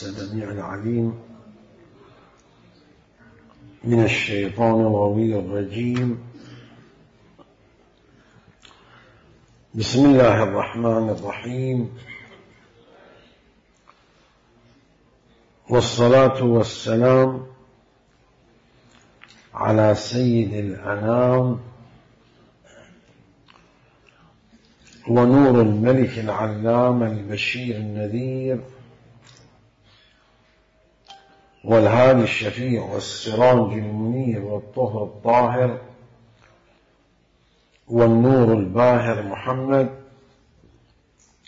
السميع العليم من الشيطان الغوي الرجيم. بسم الله الرحمن الرحيم، والصلاة والسلام على سيد الأنام ونور الملك العلام البشير النذير والهادي الشفيع والسراج المنير والطهر الطاهر والنور الباهر محمد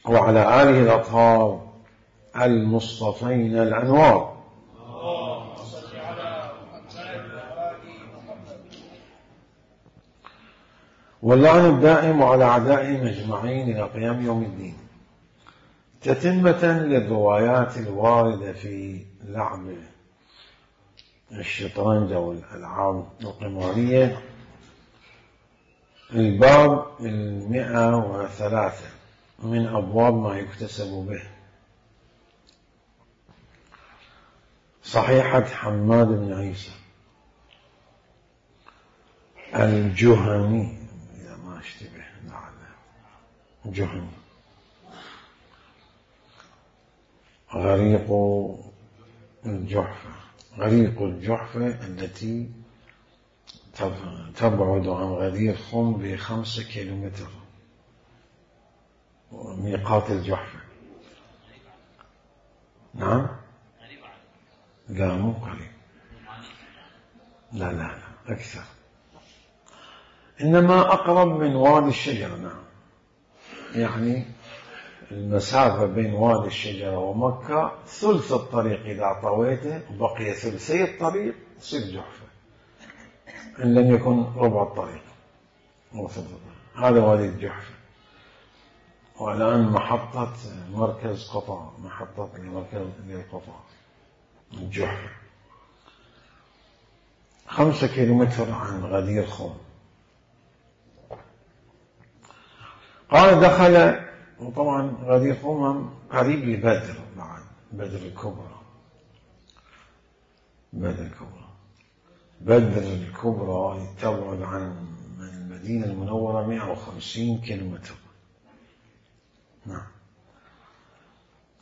وعلى آله الأطهار المصطفين الأنوار. واللعن الدائم على أعدائهم أجمعين إلى قيام يوم الدين. تتمة للروايات الواردة في لعب الشطرنج والألعاب القمارية، الباب 103 من أبواب ما يكتسب به. صحيحة حماد بن عيسى الجهني، إذا ما اشتبه لعله جهني، غريق الجحفة التي تبعد عن غدير خم ب5 كيلومتر، ميقات الجحفة. نعم، لا مو قريب، لا أكثر، إنما أقرب من وادي الشجرة. نعم، يعني المسافة بين وادي الشجرة ومكة ثلث الطريق، إذا طويته بقي ثلثي الطريق تصير جحفة، إن لم يكن ربع الطريق. هذا وادي الجحفة، والآن محطة مركز قطار، محطة للقطار الجحفة، 5 كيلومتر عن غدير خم. قال دخل، وطبعا غدير خم قريب لبدر، بعد بدر الكبرى. بدر الكبرى تبعد عن المدينة المنورة 150 كيلومتر. نعم.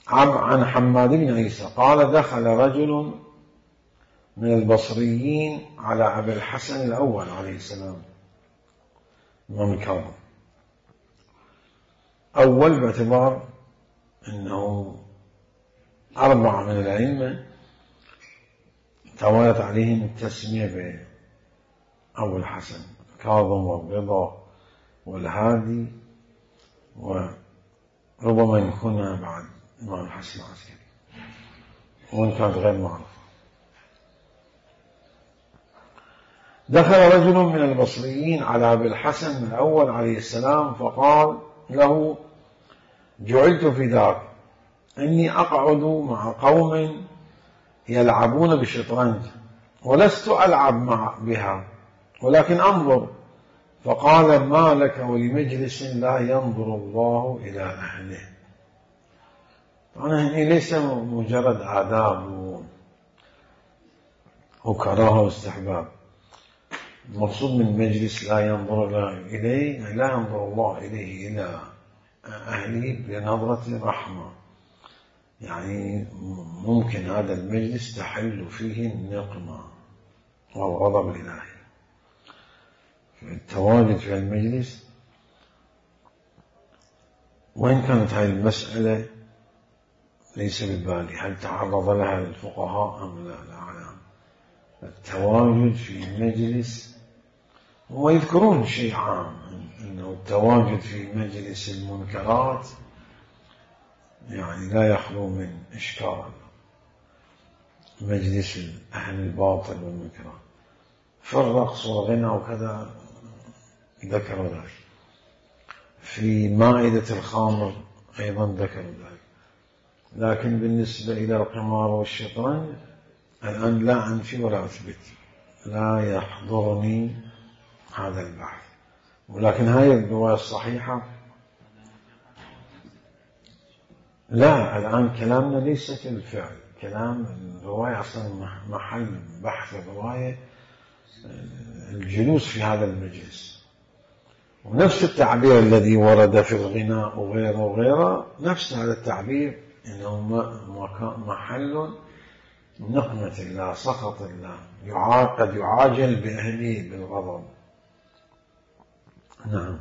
عن حماد بن عيسى قال دخل رجل من البصريين على أبي الحسن الأول عليه السلام، إمام الكاظم، أول باعتبار أنه 4 من الأئمة توالت عليهم التسمية بأبو الحسن، كاظم والرضا والهادي، وربما يكون بعد إمام الحسن العسكري، وإن كانت غير معروفة. دخل رجل من البصريين على أبي الحسن الأول عليه السلام فقال له: جعلت فداك، إني أقعد مع قوم يلعبون بالشطرنج، ولست ألعب بها ولكن أنظر. فقال: ما لك ولمجلس لا ينظر الله إلى أهله. طبعا ليس مجرد آداب وكراهة واستحباب، المقصود من مجلس لا ينظر إليه، لا ينظر الله إليه إلى أهله بنظرة رحمة، يعني ممكن هذا المجلس تحل فيه النقمة والغضب الإلهي. التواجد في المجلس، وإن كانت هذه المسألة ليس ببالي هل تعرض لها الفقهاء أم لا أعلم. التواجد في مجلس، ويذكرون شيء عام أنه التواجد في مجلس المنكرات يعني لا يخلو من إشكال، مجلس أهل الباطل والمنكرات، في الرقص والغنى وكذا ذكروا ذلك، في مائدة الخمر أيضا ذكروا ذلك. لكن بالنسبة إلى القمار والشطرنج الآن لا أنفي ولا أثبت، لا يحضرني هذا البحث. ولكن هاي الرواية الصحيحة لا، الآن كلامنا ليس في الفعل، كلام الرواية أصلا محل بحث الرواية الجلوس في هذا المجلس، ونفس التعبير الذي ورد في الغناء وغيره وغيره نفس هذا التعبير إنه محل نقمة الله سخط الله قد يعاجل بأهله بالغضب. نعم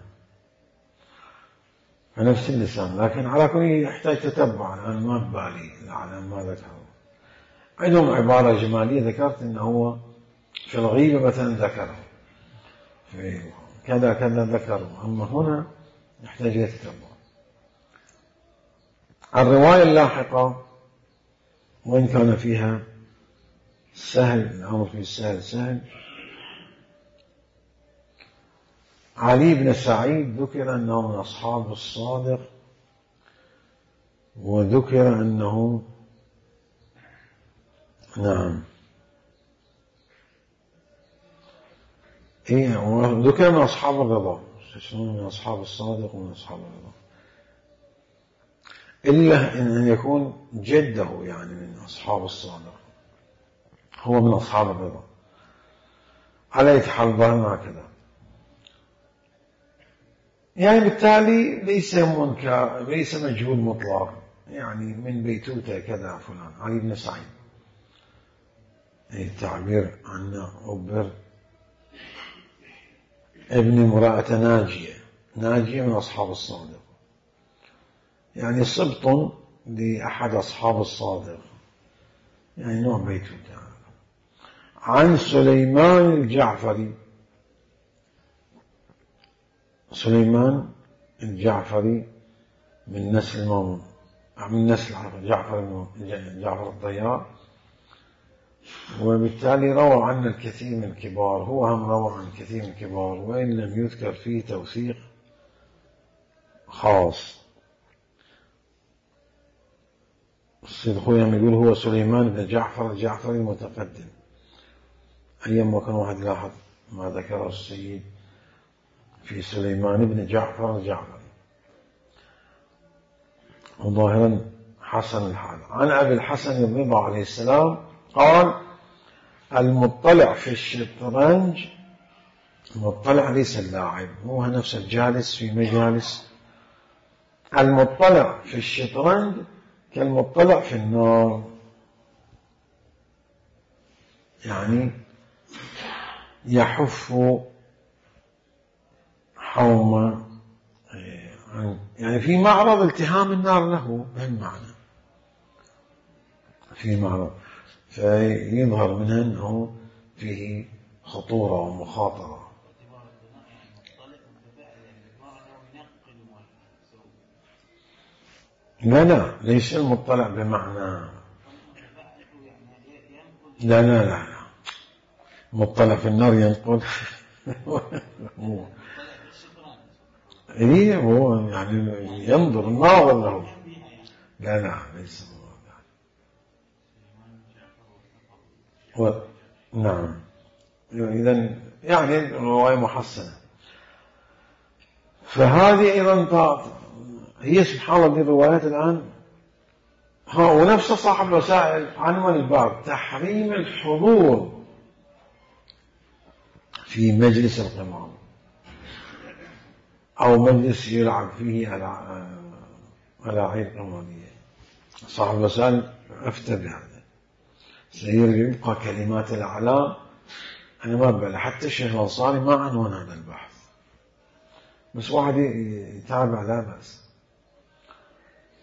فنفس اللسان، لكن على كل يحتاج تتبع. أنا ما ببالي على ما ذكروا. عندهم عبارة جمالية ذكرت إنه هو في الغيبة مثلا ذكره في كذا كذا ذكره، أما هنا يحتاج إلى تتبع. الرواية اللاحقة وإن كان فيها سهل الأمر في سهل علي بن سعيد ذكر أنه من أصحاب الصادق، وذكر أنه نعم وذكر من أصحاب الرضا، من أصحاب الصادق ومن أصحاب الرضا، إلا أن يكون جده يعني من أصحاب الصادق، هو من أصحاب الرضا. على يتحال ظاهرنا كذا، يعني بالتالي ليس مجهول مطلق، يعني من بيتوته كذا فلان علي بن سعيد، التعبير عنه عبر ابن امرأة ناجية من أصحاب الصادق، يعني سبط لأحد أصحاب الصادق، يعني نوع بيتوته. عن سليمان الجعفري، سليمان الجعفري من نسل جعفر الطيار، وبالتالي روى عن الكثير من الكبار، هو هم روى عن كثير من الكبار وإن لم يذكر فيه توثيق خاص. السيد خويا يقول هو سليمان بن جعفر الجعفري المتقدم، أيام كان واحد لاحظ ما ذكره السيد في سليمان بن جعفر الجعفري، وظاهرا حسن الحال. عن أبي الحسن الرضا عليه السلام قال: المطلع في الشطرنج، المطلع ليس اللاعب، هو نفس الجالس في مجالس، المطلع في الشطرنج كالمطلع في النار، يعني يحف حوما، يعني في معرض التهام النار له بهالمعنى، في معرض، فيظهر منها أنه فيه خطورة ومخاطرة. لا ليس المطلع بمعنى لا مطلع في النار ينقل إيه هو يعني ينظر الناظر له، لا ليس نعم. إذن يعني الرواية محسنة. فهذه أيضا هي سبحان الله الروايات الآن، ونفس صاحب الوسائل عنوان الباب تحريم الحضور في مجلس القمار أو مجلس يلعب فيه ألاعيب قمارية. صاحب الوسائل أفتى بهذا، سيبقى كلمات الأعلام. أنا ما ببالي حتى الشيخ الأنصاري ما عنوان هذا البحث، بس واحد يتابع لا بأس.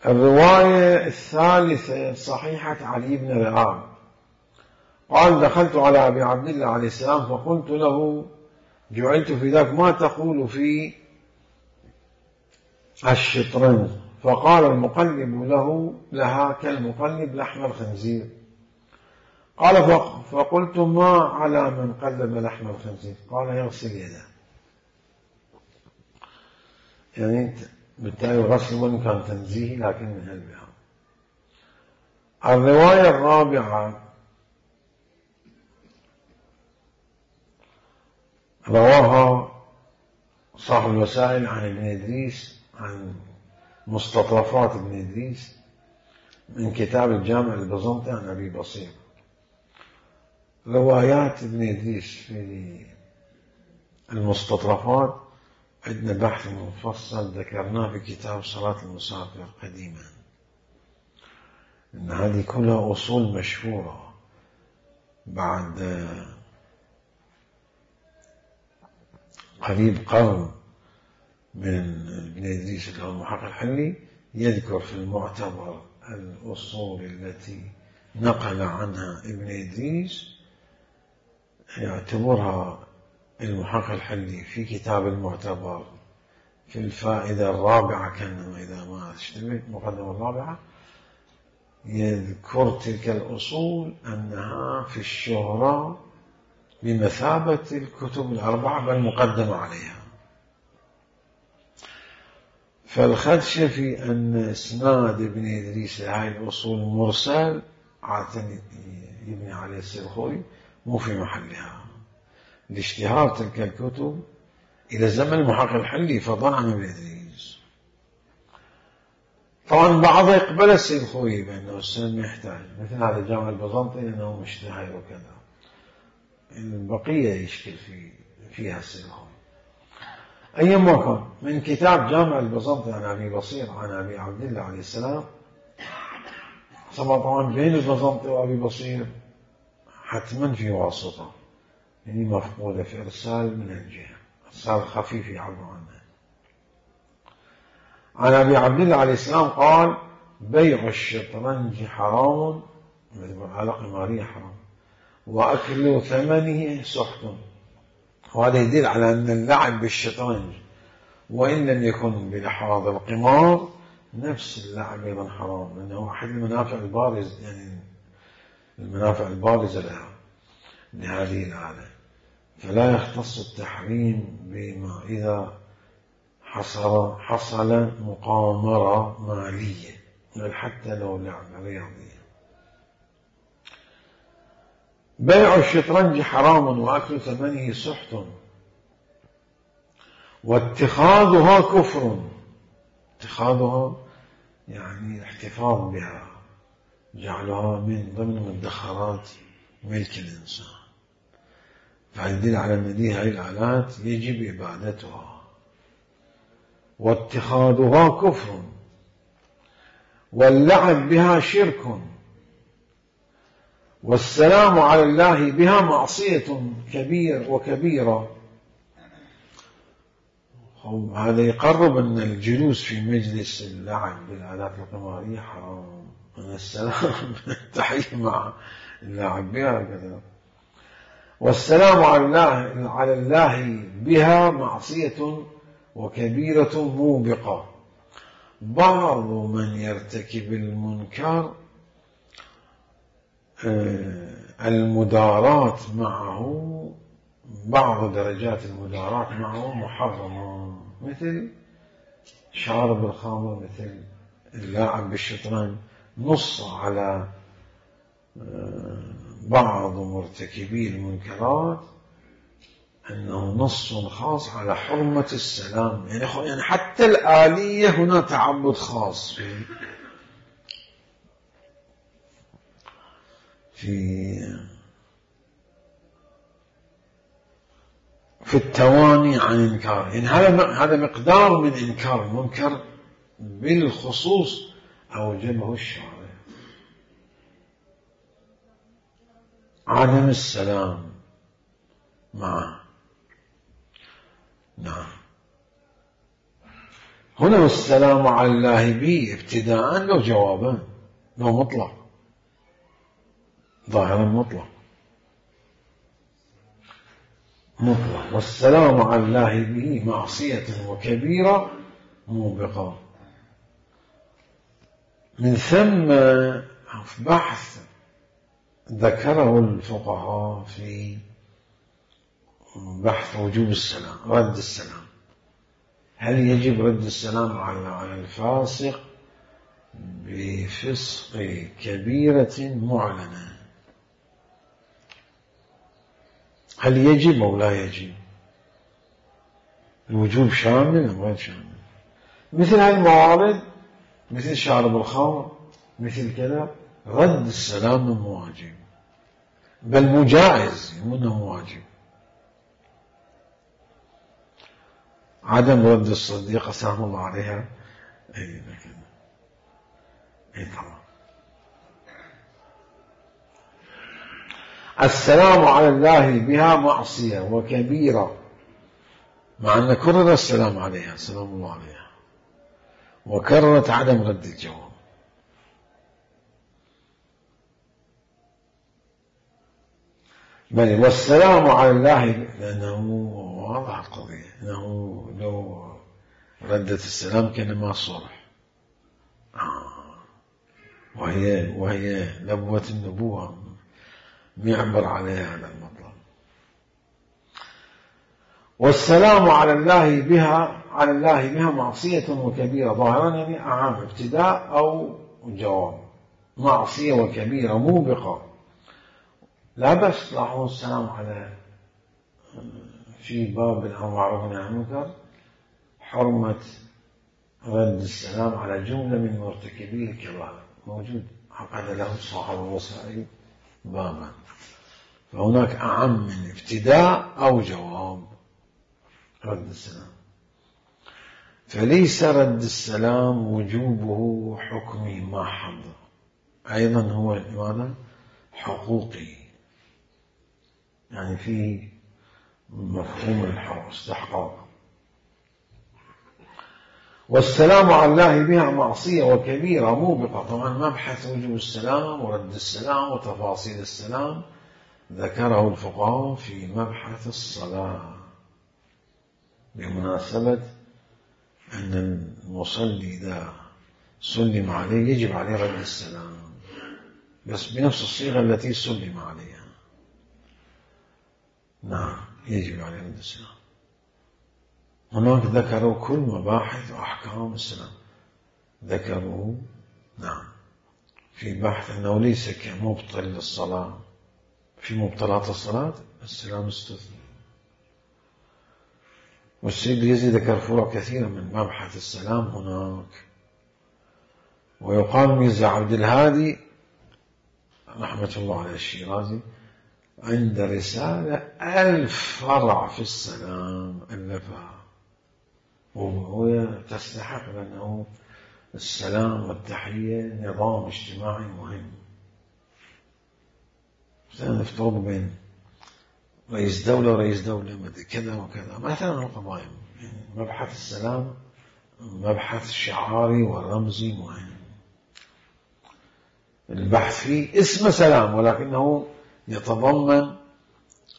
الرواية الثالثة صحيحة علي بن رئاب قال: دخلت على أبي عبد الله عليه السلام فقلت له: جعلت في ذاك ما تقول في الشطرنج؟ فقال: المقلب لها كالمقلب لحم الخنزير. قال: فقلت: ما على من قلب لحم الخنزير؟ قال: يغسل يده. يعني بالتالي الغسل وإن كان تنزيهي لكن من هالباب. الرواية الرابعة رواها صاحب الوسائل عن ابن إدريس، عن مستطرفات ابن إدريس، من كتاب الجامع البيزنطي عن أبي بصير. روايات ابن إدريس في المستطرفات عندنا بحث مفصل ذكرناه في كتاب صلاة المسافر قديما، إن هذه كلها أصول مشهورة بعد قريب قرن من ابن إدريس اللي هو المحقق الحلي، يذكر في المعتبر الأصول التي نقل عنها ابن إدريس، يعتبرها المحقق الحلي في كتاب المعتبر في الفائدة الرابعة، كان إذا ما اشتبه المقدمة الرابعة، يذكر تلك الأصول أنها في الشهرة بمثابة الكتب الأربعة بل مقدمة عليها. فالخدشة في أن إسناد ابن إدريس لهذه الأصول مرسل عادة يبني عليه السلخوي مو في محلها، لاشتهار تلك الكتب إلى زمن المحقق الحلي فضلا عن ابن إدريس. طبعا بعضها يقبل السلخوي بأنه السند ما يحتاج، مثل هذا الجامع البيزنطي لأنه مشتهر وكذا، البقية يشكل فيها السلخوي. أيما كان من كتاب جامع البيزنطي عن أبي بصير عن أبي عبد الله عليه السلام، طبعا بين البيزنطي وأبي بصير حتما في واسطة، يعني مفقودة في إرسال من الجهة، إرسال خفيف يعبر عنه. عن أبي عبد الله عليه السلام قال: بيع الشطرنج حرام، على قمارية حرام، وأكل ثمنه سحت. وهذا يدل على أن اللعب بالشطرنج وإن لم يكن بلحاظ القمار نفس اللعب أيضا حرام، لأنه أحد المنافع البارز، يعني المنافع البارزة لها لهذه الآلة، فلا يختص التحريم بما إذا حصل مقامرة مالية، بل حتى لو لعبة رياضية. بيع الشطرنج حرام وأكل ثمنه سحت، واتخاذها كفر. اتخاذها يعني الاحتفاظ بها، جعلها من ضمن مدخرات ملك الإنسان، فيدل على أن هذه الآلات يجب إبادتها. واتخاذها كفر، واللعب بها شرك، والسلام على الله بها معصية وكبيرة. هذا يقرب أن الجلوس في مجلس اللعب بالآلات القمارية حرام، أن السلام التحية مع اللعب بها كذا. والسلام على الله بها معصية وكبيرة موبقة. بعض من يرتكب المنكر المداراة معه، بعض درجات المداراة معه محرمة، مثل شارب الخمر، مثل اللاعب بالشطرنج. نص على بعض مرتكبي المنكرات أنه نص خاص على حرمة السلام، يعني حتى الآلية هنا تعبد خاص في التواني عن إنكار، يعني هذا مقدار من إنكار المنكر بالخصوص أوجبه الشارع. عدم السلام معه. نعم، هنا السلام على الله به ابتداء لو جوابا، لو مطلق، ظاهرا مطلق. والسلام على الله به معصية وكبيرة موبقة. من ثم بحث ذكره الفقهاء في بحث وجوب السلام، رد السلام. هل يجب رد السلام على الفاسق بفسق كبيرة معلنة؟ هل يجب أو لا يجب؟ الوجوب شامل أم غير شامل؟ مثل هذه الموارد، مثل شارب الخمر، مثل كذا رد السلام مو واجب، بل مو جائز، مو واجب. عدم رد الصديقة سلام الله عليها أي طبعا. السلام على الله بها معصية وكبيرة، مع أن كرر السلام عليها سلام الله عليها، وكررت عدم رد الجواب. بل والسلام على الله، لأنه واضح القضية، أنه لو ردت السلام كان ما صلح، وهي نبوة النبوة يعبر عليها هذا المطلب. والسلام على الله بها معصية وكبيرة، ظاهرا يعني أعام، ابتداء أو جواب. معصية وكبيرة موبقة، لا بس لاحظوا السلام على في باب الأمر بالمعروف والنهي عن المنكر حرمة رد السلام على جملة من مرتكبي الكبائر، موجود عقد له صاحب الوسائل بابا، فهناك أعم من ابتداء أو جواب رد السلام. فليس رد السلام وجوبه حكمي محض، أيضا هو ماذا؟ حقوقي، يعني في مفهوم الاستحقاق. والسلام على الله بها معصية وكبيرة موبقة. طبعا مبحث وجوب السلام ورد السلام وتفاصيل السلام ذكره الفقهاء في مبحث الصلاة، بمناسبة أن المصلي إذا سلم عليه يجب عليه رد السلام، بس بنفس الصيغة التي سلم عليها. نعم، يجب عليه رد السلام. هناك ذكروا كل مباحث وأحكام السلام، ذكروا نعم في بحث أنه ليس كمبطل للصلاة، في مبطلات الصلاة السلام استثنى. والسيد يزيد ذكر فروع كثيرة من مبحث السلام هناك. ويقال ميرزا عبد الهادي رحمة الله عليه الشيرازي عند رسالة 1000 فرع في السلام ألفها، وهو تستحق، لأنه السلام والتحية نظام اجتماعي مهم. سنفترض بين رئيس دولة ورئيس دولة كذا وكذا مثلا القضايا، يعني مبحث السلام مبحث شعاري ورمزي مهم. البحث فيه اسم سلام، ولكنه يتضمن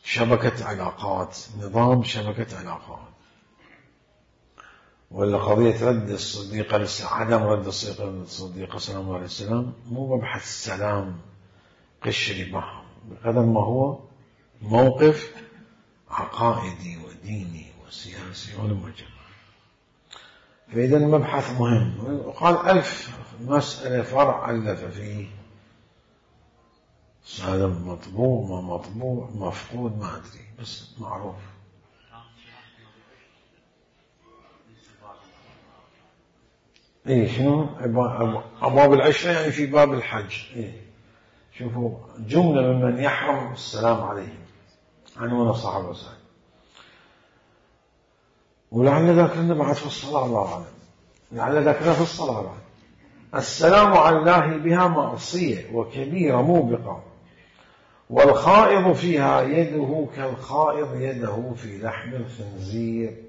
شبكة علاقات، نظام شبكة علاقات. ولا قضية رد الصديقة عدم رد الصديقة سلام الله عليه السلام مو مبحث السلام قشري معه، بقدر ما هو موقف عقائدي وديني وسياسي ولمجمع. فإذا المبحث مهم. وقال 1000 مسألة فرع ألف فيه، هذا مطبوع ما مطبوع مفقود ما أدري، بس معروف. إيه شنو أبواب العشرة، يعني في باب الحج. إيه شوفوا جملة ممن يحرم السلام عليهم عنوان صاحب الوسائل، ولعل ذكرنا بعد في الصلاة، الله أعلم، لعل ذكرنا في الصلاة بعد. السلام على الله بها معصية وكبيرة موبقة، والخائض فيها يده كالخائض يده في لحم الخنزير،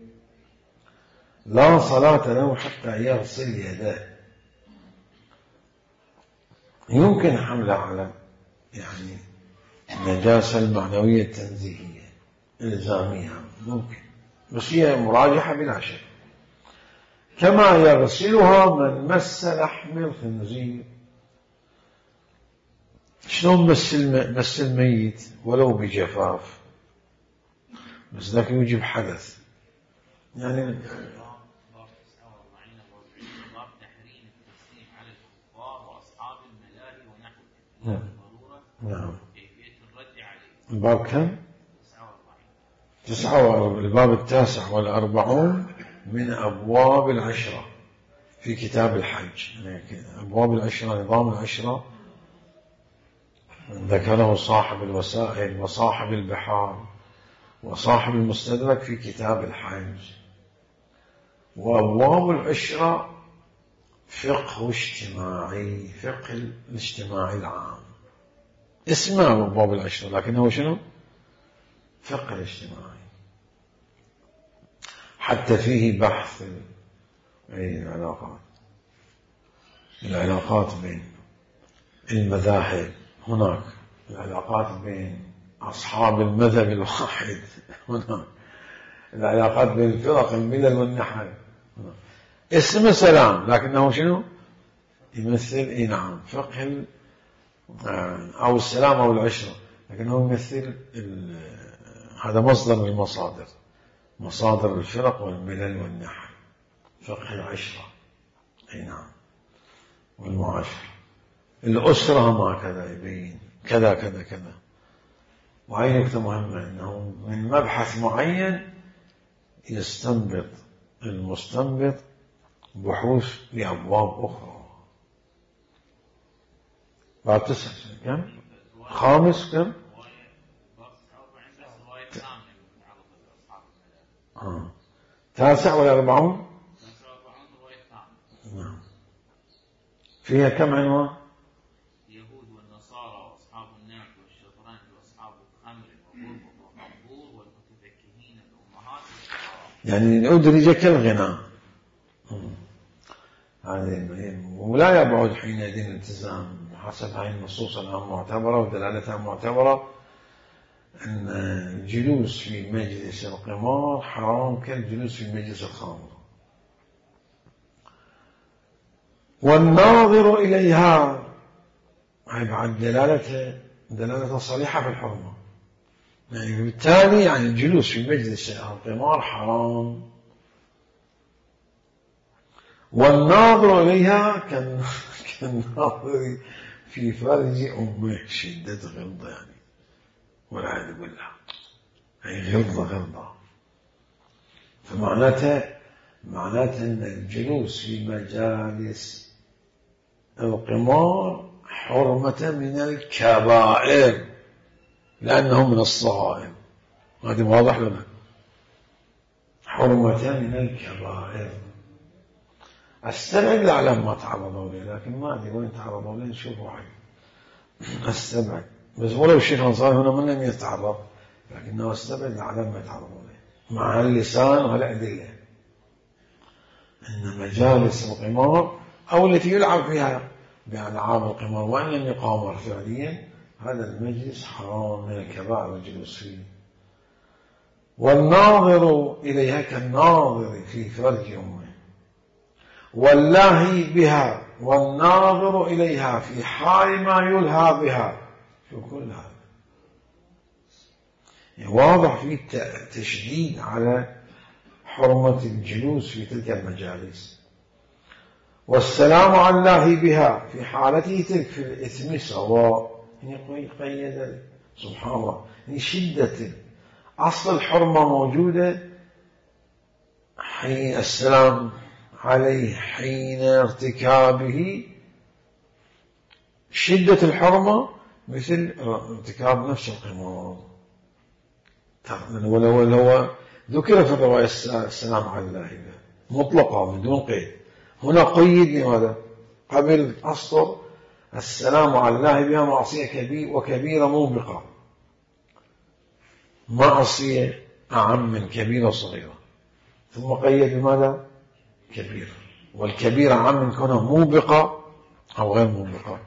لا صلاة له حتى يغسل يديه. يمكن حمله على يعني النجاسة المعنوية التنزيهية إلزامية، ممكن، بس هي مراجحة بلا شك. كما يغسلها من مس لحم الخنزير. شلون مس الميت ولو بجفاف، بس ذاك يوجب حدث، يعني نعم. الباب كم؟ 49. الباب 49 من أبواب العشرة في كتاب الحج. يعني أبواب العشرة، نظام العشرة ذكره صاحب الوسائل وصاحب البحار وصاحب المستدرك في كتاب الحج. وأبواب العشرة فقه اجتماعي، فقه الاجتماعي العام، اسمه أبواب العشرة لكنه شنو؟ فقه الاجتماعي. حتى فيه بحث العلاقات بين المذاهب، هناك العلاقات بين أصحاب المذهب الواحد، هناك العلاقات بين الفرق الملل والنحل. اسمه سلام لكنه شنو؟ يمثل نعم فقه أو السلام أو العشرة، لكنه يمثل هذا مصدر من المصادر، مصادر الفرق والملل والنحل، فقه العشرة نعم والمعاشرة. الأسرة هم كذا يبين كذا كذا كذا. وهي نقطة مهمة، أنه من مبحث معين يستنبط المستنبط بحوث لأبواب أخرى. بعد 9 كم؟ خامس كم؟ تاسع ولا 40؟ نعم. فيها كم عنوان؟ اليهود والنصارى وأصحاب النعم والشطرنج وأصحاب الخمر والمقبور والمتفكهين الأمهات يعني أدرج كالغناء. ولا يبعد حينئذ الالتزام حسب هذه النصوص المعتبرة ودلالتها معتبرة أن الجلوس في مجلس القمار حرام كالجلوس في مجلس الخمر. والناظر إليها هي بعد دلالة صريحة في الحرمة، يعني بالتالي يعني الجلوس في مجلس القمار حرام. والناظر إليها كالناظر في فرج أمه، شدة غلظة يعني والعياذ بالله، أي غلظة. فمعناتها أن الجلوس في مجالس القمار حرمة من الكبائر لأنه من الصغائر. هذا واضح لنا، حرمة من الكبائر. استبعد الأعلام ما تعرضوا لي، لكن ما أدري وين تعرضوا لي، نشوفوا حاجة استبعد. بس ولو الشيخ الأنصاري هنا من لم يتعرض، لكنه استبعد الأعلام ما تعرضوا لي مع اللسان والأدلة أن مجالس القمار أو التي يلعب فيها بألعاب القمار وإن لم يقامر فعليا، هذا المجلس حرام من الكبائر الجلوس فيه. والناظر إليها كالناظر في فرج أمه، واللاهي بها والناظر إليها في حال ما يلهى بها. شو كل هذا واضح في تشديد على حرمة الجلوس في تلك المجالس. والسلام على الله بها في حالته تلك في الإثم سواء. قيد سبحان الله، شدة أصل الحرمة موجودة حين السلام عليه حين ارتكابه، شدة الحرمة مثل ارتكاب نفس القمار. ولو ذكر في الرواية السلام على الله مطلقة بدون قيد، هنا قيد لماذا؟ قبل أسطر السلام على الله بها معصية وكبيرة موبقة، معصية أعم من كبيرة صغيرة، ثم قيد بماذا؟ كبيرة، والكبيرة أعم من كونها موبقة أو غير موبقة.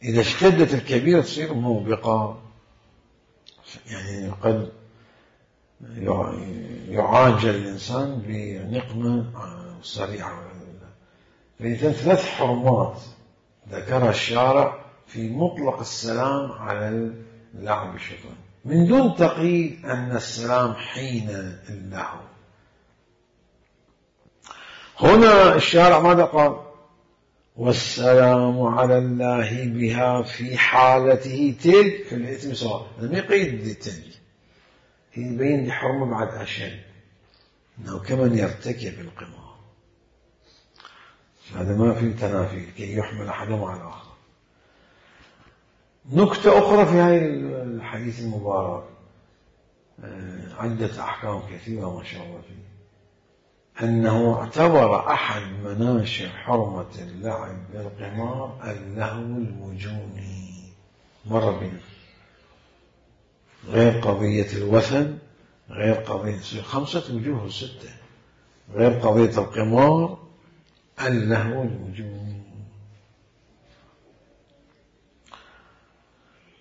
إذا اشتدت الكبيرة تصير موبقة، يعني قد يعاجل الإنسان بنقمة سريعة. فإذا 3 حرمات ذكرها الشارع في مطلق السلام على اللعب بالشيطان من دون تقييد أن السلام حين اللهو. هنا الشارع ماذا قال؟ والسلام على الله بها في حالته تلك في الإثم سواء. لم يقيد التلك، يبين لي حرمة بعد أشد، أنه كمن يرتكب القمار. هذا ما في تنافي كي يحمل أحدهم على الآخر. نكتة أخرى في هذا الحديث المبارك، عدة أحكام كثيرة ما شاء الله فيه، أنه اعتبر أحد مناشئ حرمة اللعب بالقمار اللهو الوجوني. مر بنا غير قضية الوثن، غير قضية 5 وجوه 6، غير قضية القمار، اللهو الوجوني.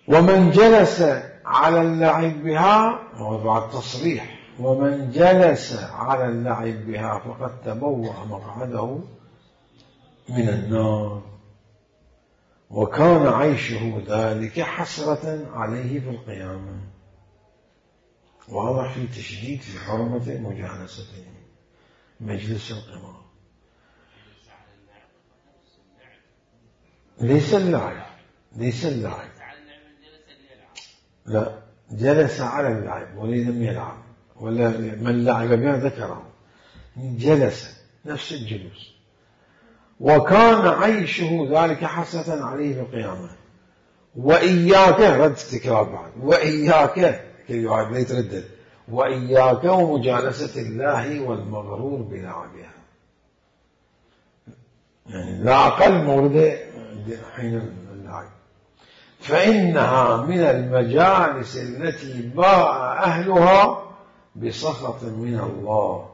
ومن جلس على اللعب بها، وبعد تصريح، ومن جلس على اللعب بها فقد تبوأ مقعده من النار، وكان عيشه ذلك حسرة عليه في القيامة. واضح في تشديد في حرمة مجالسته مجلس القمار. ليس اللعب، ليس اللعب، لا، جلس على اللعب ولم يلعب، ولا من لعب بها ذكره، جلس نفس الجلوس، وكان عيشه ذلك حسرة عليه في القيامة. وإياك، رد تكرار بعد، وإياك كي يعاد لا يتردد، وإياك ومجالسة الله والمغرور بلعبها، يعني لا أقل موردة حين اللعب، فإنها من المجالس التي باء أهلها بسخط من الله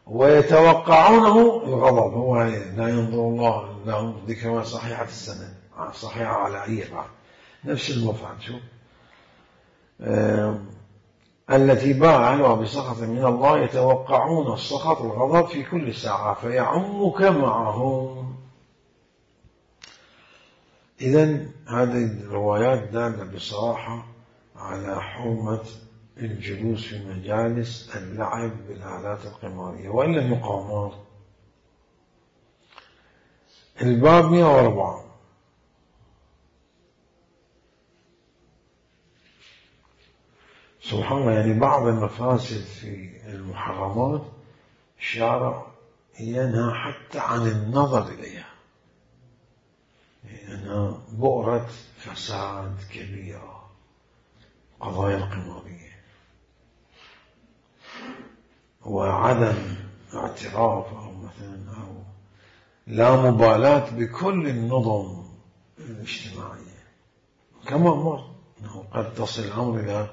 ويتوقعونه الغضب. هو لا ينظر الله لهم ذكرى صحيحة السنة، صحيحة على أي بعد، نفس المفعل. شوف، التي باء أهلها بسخط من الله يتوقعون السخط والغضب في كل ساعة فيعمك معهم. إذن هذه الروايات دالة بصراحة على حرمة الجلوس في مجالس اللعب بالآلات القمارية وإلا المقامات. الباب 104. سبحان الله، يعني بعض المفاسد في المحرمات الشارع ينهى حتى عن النظر إليها، لأنها بؤرة فساد كبيرة، قضايا القمارية، وعدم اعتراف أو مثلا أو لا مبالاة بكل النظم الاجتماعية، كما مر أنه قد تصل الأمر إلى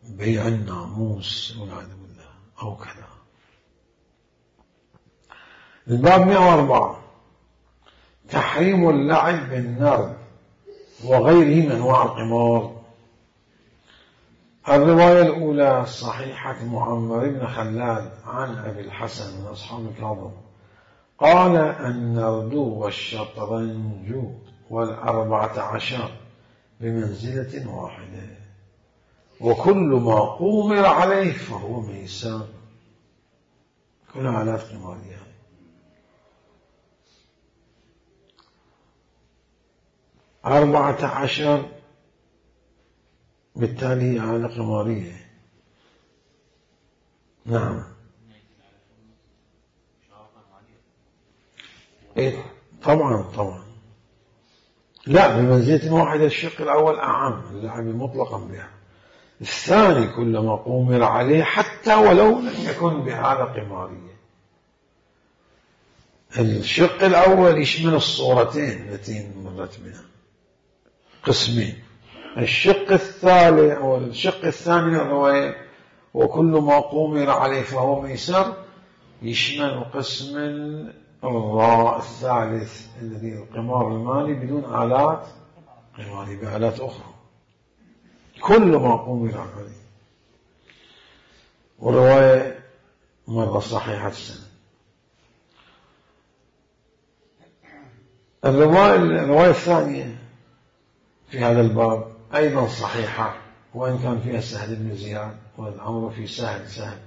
بيع الناموس والعياذ بالله أو كذا. الباب 104 تحريم اللعب بالنرد وغيره من أنواع القمار. الرواية الأولى صحيحة معمر بن خلاد عن أبي الحسن من أصحاب الكاظم قال: النرد والشطرنج 14 بمنزلة واحدة، وكل ما قومر عليه فهو ميسر. كل آلات قمارية. أربعة 14 بالتالي آلة قمارية. نعم، إيه طبعا طبعا، لا، بمنزلة واحدة. الشق الأول أعم، اللعب مطلقا بها. الثاني كلما قومر عليه حتى ولو لم يكن بآلة قمارية. الشق الأول يشمل الصورتين التي مرت بنا، قسمين. الشق الثالث أو الشق الثاني من الرواية وكل ما قومر عليه فهو ميسر يشمل قسم الراء الثالث الذي القمار المالي بدون آلات قمارية، بآلات أخرى. كل ما قومر عليه، والرواية مرة صحيحة السنة. الرواية الثانية في هذا الباب أيضا صحيحة، وإن كان فيها سهل بن زياد، والأمر في سهل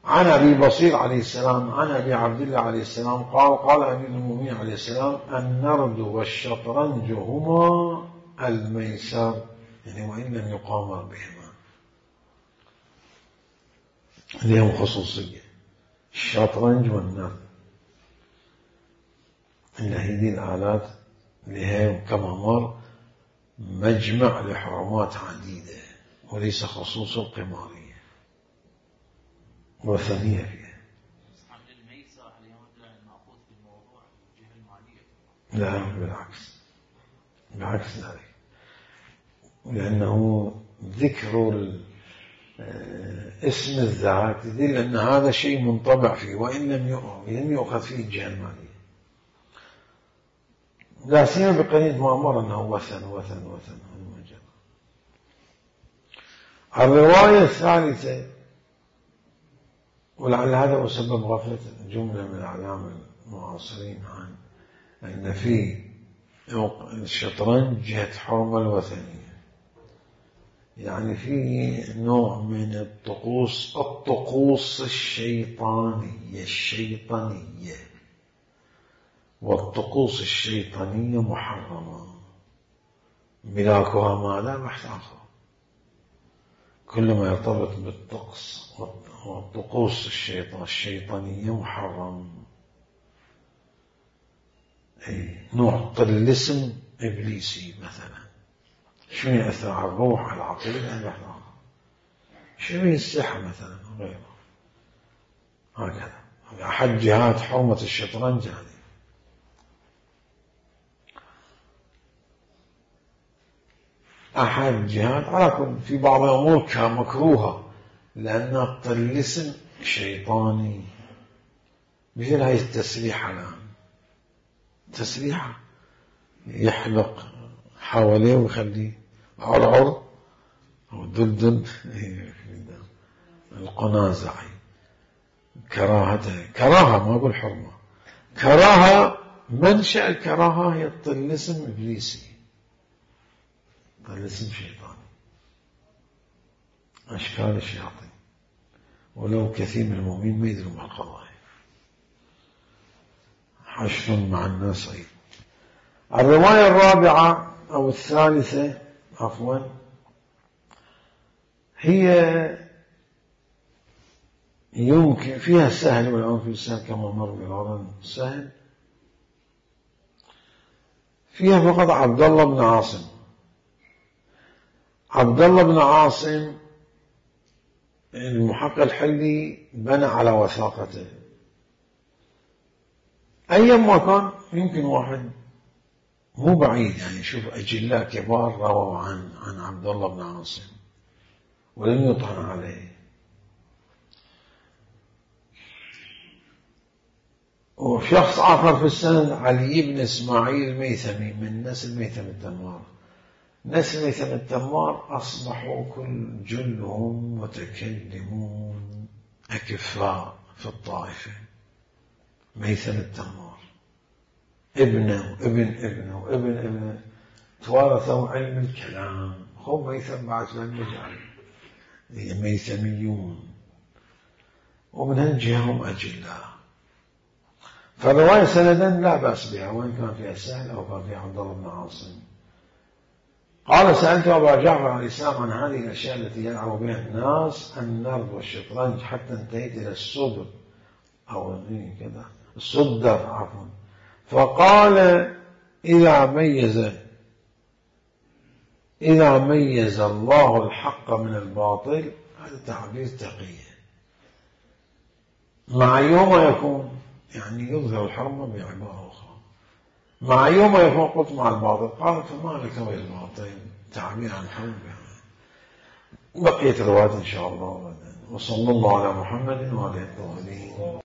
عن أبي بصير عليه السلام عن أبي عبد الله عليه السلام قال: قال أمير المؤمنين عليه السلام: النرد والشطرنج هما الميسر، يعني وإن لم يقامر بهما. لهم خصوصية الشطرنج والنرد. إن هذه الآلات لها كما مر مجمع لحرمات عديدة وليس خصوص القمارية وثنية فيها. حمل الميسر عليهم المأخوذ في الموضوع الجهة المالية. لا بالعكس ذلك، لأنه ذكر اسم الذات يدل أن هذا شيء منطبع فيه وإن لم يؤخذ فيه الجهة المالية، لا سيما بقرينة ما أمر أنه وثن. الرواية الثالثة، ولعل هذا هو سبب غفلة جملة من الأعلام المعاصرين عن أن في الشطرنج جهة حرمة الوثنية، يعني في نوع من الطقوس الشيطانية، والطقوس الشيطانية محرمة، ملاكها ماذا بحث آخر، كل ما يرتبط بالطقس والطقوس الشيطانية محرم. نوع طلسم إبليسي مثلا، شنو يأثر على الروح على العقيدة، شنو السحر مثلا غيره، هكذا أحد جهات حرمة الشطرنج هذه. أحد جهات على كل في بعض الأمور مكروهة لأنها طلسم شيطاني، مثل هاي التسريحة الآن، تسريحة يحلق حواليه ويخليه عرعر أو دلدل القنازع، كراهة ما أقول حرمة، كراهة، منشأ الكراهة هي الطلسم إبليسي، طلسم شيطاني، أشكال الشياطين، ولو كثير من المؤمنين ما يدرون بهالقضايا، حشر مع الناس عيد. الرواية الرابعة أو الثالثة عفوا هي يمكن فيها سهل والآن في سهل كما مر بالعرض سهل، فيها فقط عبد الله بن عاصم. عبد الله بن عاصم المحقق الحلي بنى على وثاقته، أيما كان يمكن واحد مو بعيد يعني شوف أجلاء كبار رووا عن عبد الله بن عاصم ولم يطعن عليه، وشخص آخر في السند علي بن إسماعيل الميثمي من نسل ميثم التمار. نسل ميثم التمار أصبحوا كل جلهم متكلمون أكفاء في الطائفة. ميثم التمار ابنه وابن توارثوا علم الكلام، هم ميثم بعد لم يجعل هي ميثميون، ومن هالجهة هم أجلاء. فالرواية سندا لا بأس بها وإن كان فيها سهل أو كان فيها عبد الله بن عاصم. قال سألت أبا جعفر عن الإسلام عن هذه الأشياء التي يلعب بها الناس النرد والشطرنج حتى انتهيت إلى الصدر أو كذا الصدر عفوا، فقال إذا ميز الله الحق من الباطل، هذا تعبير تقية، مع يوم يكون يعني يظهر الحرمة بعبارة أخرى، مع يوم يكون قلت مع الباطل، قال فما لك بالباطل، تعبير عن الحرمة. بقية الروايات إن شاء الله، وصلى الله على محمد وعلى آله الطاهرين.